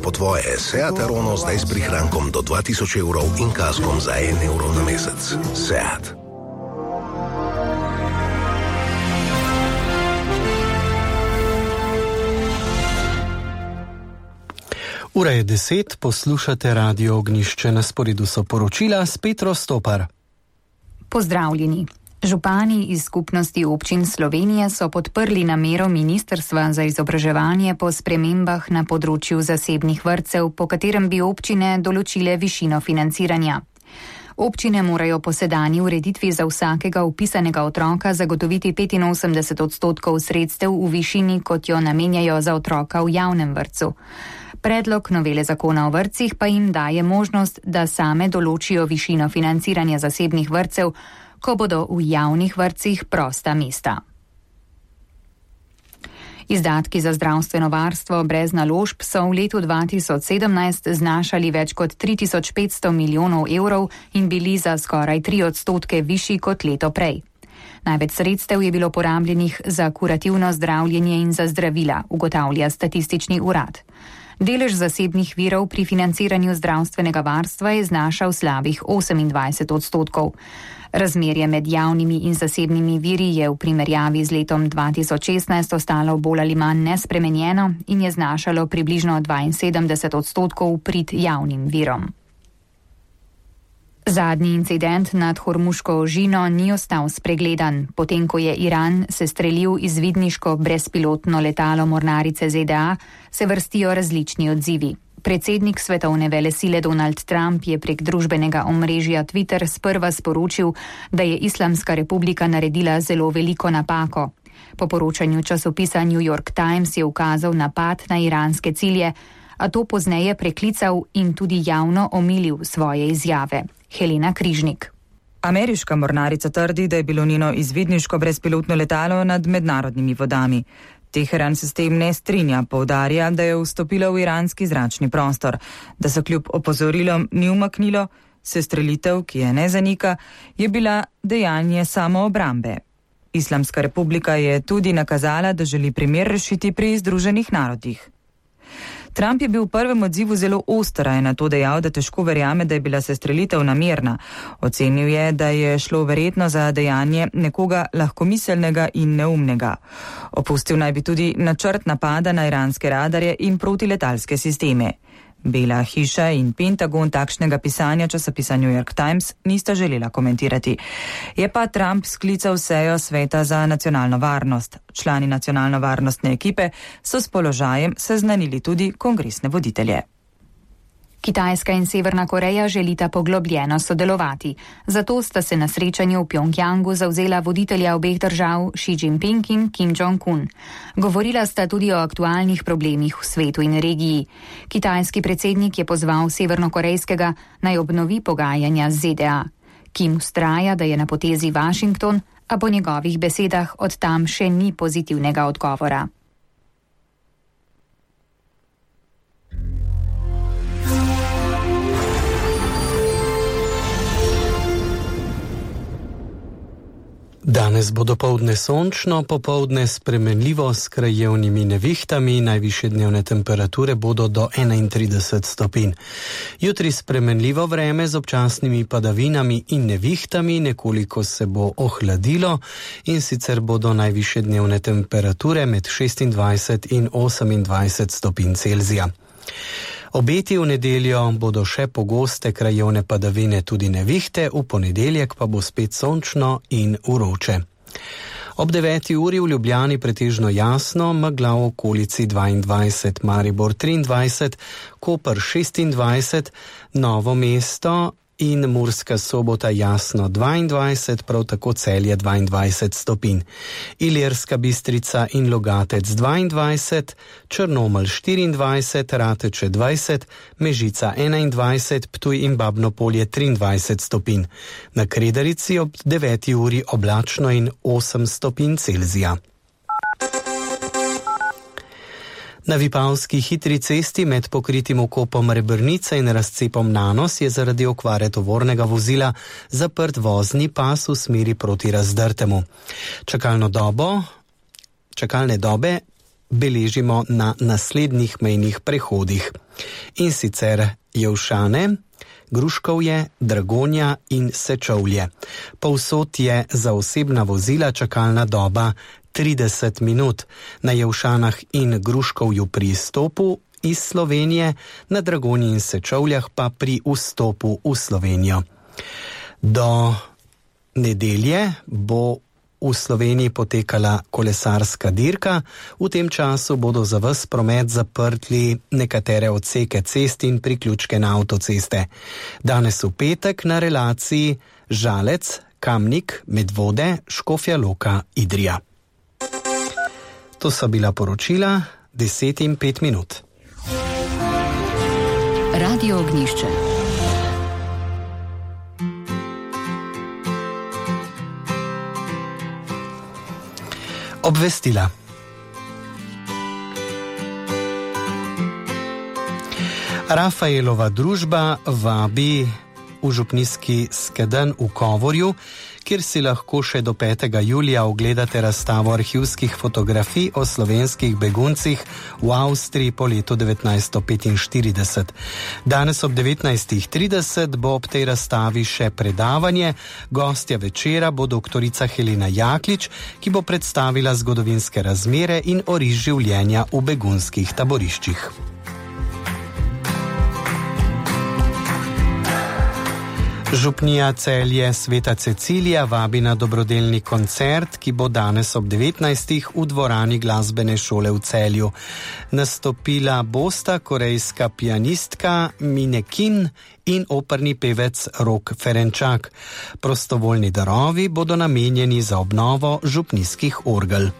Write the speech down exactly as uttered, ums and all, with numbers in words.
Po tvoje Seat Arono zdaj s prihrankom do dva tisoč evrov in kaskom za en evro na mesec. Seat. Ura je deset, poslušate Radio Ognjišče, na sporedu so poročila s Petro Stopar. Pozdravljeni. Župani iz skupnosti občin Slovenije so podprli namero Ministrstva za izobraževanje po spremembah na področju zasebnih vrtcev, po katerem bi občine določile višino financiranja. Občine morajo po sedanji ureditvi za vsakega vpisanega otroka zagotoviti petinosemdeset odstotkov sredstev v višini, kot jo namenjajo za otroka v javnem vrtcu. Predlog novele zakona o vrtcih pa jim daje možnost, da same določijo višino financiranja zasebnih vrtcev, ko bodo v javnih vrtcih prosta mesta. Izdatki za zdravstveno varstvo brez naložb so v letu dva tisoč sedemnajst znašali več kot tri tisoč petsto milijonov evrov in bili za skoraj tri odstotke višji kot leto prej. Največ sredstev je bilo porabljenih za kurativno zdravljenje in za zdravila, ugotavlja statistični urad. Delež zasebnih virov pri financiranju zdravstvenega varstva je znašal slabih osemindvajset odstotkov. Razmerje med javnimi in zasebnimi viri je v primerjavi z letom dva tisoč šestnajst ostalo bolj ali manj nespremenjeno in je znašalo približno dvainsedemdeset odstotkov prid javnim virom. Zadnji incident nad Hormuško ožino ni ostal spregledan. Potem, ko je Iran sestrelil izvidniško brezpilotno letalo mornarice Z D A, se vrstijo različni odzivi. Predsednik svetovne velesile Donald Trump je prek družbenega omrežja Twitter sprva sporočil, da je Islamska republika naredila zelo veliko napako. Po poročanju časopisa New York Times je ukazal napad na iranske cilje, a to pozneje preklical in tudi javno omilil svoje izjave. Helena Križnik. Ameriška mornarica trdi, da je bilo njeno izvidniško brezpilotno letalo nad mednarodnimi vodami. Teheran se s tem ne strinja, poudarja, da je vstopilo v iranski zračni prostor, da se kljub opozorilom ni umaknilo, sestrelitev, ki je ne zanika, je bila dejanje samoobrambe. Islamska republika je tudi nakazala, da želi primer rešiti pri Združenih narodih. Trump je bil v prvem odzivu zelo oster, je na to dejal, da težko verjame, da je bila sestrelitev namerna. Ocenil je, da je šlo verjetno za dejanje nekoga lahkomiselnega in neumnega. Opustil naj bi tudi načrt napada na iranske radarje in protiletalske sisteme. Bela hiša in Pentagon takšnega pisanja časopisa New York Times nista želela komentirati. Je pa Trump sklical sejo Sveta za nacionalno varnost. Člani nacionalno-varnostne ekipe so s položajem seznanili tudi kongresne voditelje. Kitajska in Severna Koreja želita poglobljeno sodelovati. Zato sta se na srečanju v Pjongjangu zavzela voditelja obeh držav Xi Jinping in Kim Jong-un. Govorila sta tudi o aktualnih problemih v svetu in regiji. Kitajski predsednik je pozval severnokorejskega naj obnovi pogajanja z Z D A. Kim vztraja, da je na potezi Washington, a po njegovih besedah od tam še ni pozitivnega odgovora. Danes bo dopoldne sončno, popoldne spremenljivo s krajevnimi nevihtami, najvišje dnevne temperature bodo do enaintrideset stopinj. Jutri spremenljivo vreme z občasnimi padavinami in nevihtami, nekoliko se bo ohladilo in sicer bodo najvišje dnevne temperature med šestindvajset in osemindvajset stopinj Celzija. Obeti v nedeljo bodo še pogoste krajevne padavine, tudi nevihte, v ponedeljek pa bo spet sončno in vroče. Ob deveti uri v Ljubljani pretežno jasno, megla v okolici dvaindvajset, Maribor triindvajset, Koper šestindvajset, Novo mesto in Murska Sobota jasno dvaindvajset, prav tako Celje dvaindvajset stopinj. Ilirska Bistrica in Logatec dvaindvajset, Črnomelj štiriindvajset, Rateče dvajset, Mežica enaindvajset, Ptuj in Babno Polje triindvajset stopinj. Na Kredarici ob deveti uri oblačno in osem stopinj Celzija. Na Vipavski hitri cesti med pokritim vkopom Rebrnice in razcepom Nanos je zaradi okvare tovornega vozila zaprt vozni pas v smeri proti Razdrtemu. Čakalno dobo, čakalne dobe beležimo na naslednjih mejnih prehodih. In sicer Jelšane, Gruškovje, Dragonja in Sečovlje. Povsod je za osebna vozila čakalna doba trideset minut, na Jelšanah in Gruškovju pri izstopu iz Slovenije, na Dragonji in Sečovljah pa pri vstopu v Slovenijo. Do nedelje bo v Sloveniji potekala kolesarska dirka, v tem času bodo za ves promet zaprtli nekatere odseke cest in priključke na avtoceste. Danes v petek na relaciji Žalec, Kamnik, Medvode, Škofja Loka, Idrija. To so bila poročila, deset in pet minut. Radio Ognjišče. Obvestila. Rafaelova družba vabi v župnijski skedenj v Kovorju, kjer si lahko še do petega julija ogledate razstavo arhivskih fotografij o slovenskih beguncih v Avstriji po letu devetnajststo petinštirideset. Danes ob devetnajstih trideset bo ob tej razstavi še predavanje. Gostja večera bo doktorica Helena Jaklič, ki bo predstavila zgodovinske razmere in oris življenja v begunskih taboriščih. Župnija Celje Sveta Cecilija vabi na dobrodelni koncert, ki bo danes ob devetnajstih v dvorani glasbene šole v Celju. Nastopila bosta korejska pianistka Mine Kim in operni pevec Rok Ferenčak. Prostovoljni darovi bodo namenjeni za obnovo župnijskih orgel.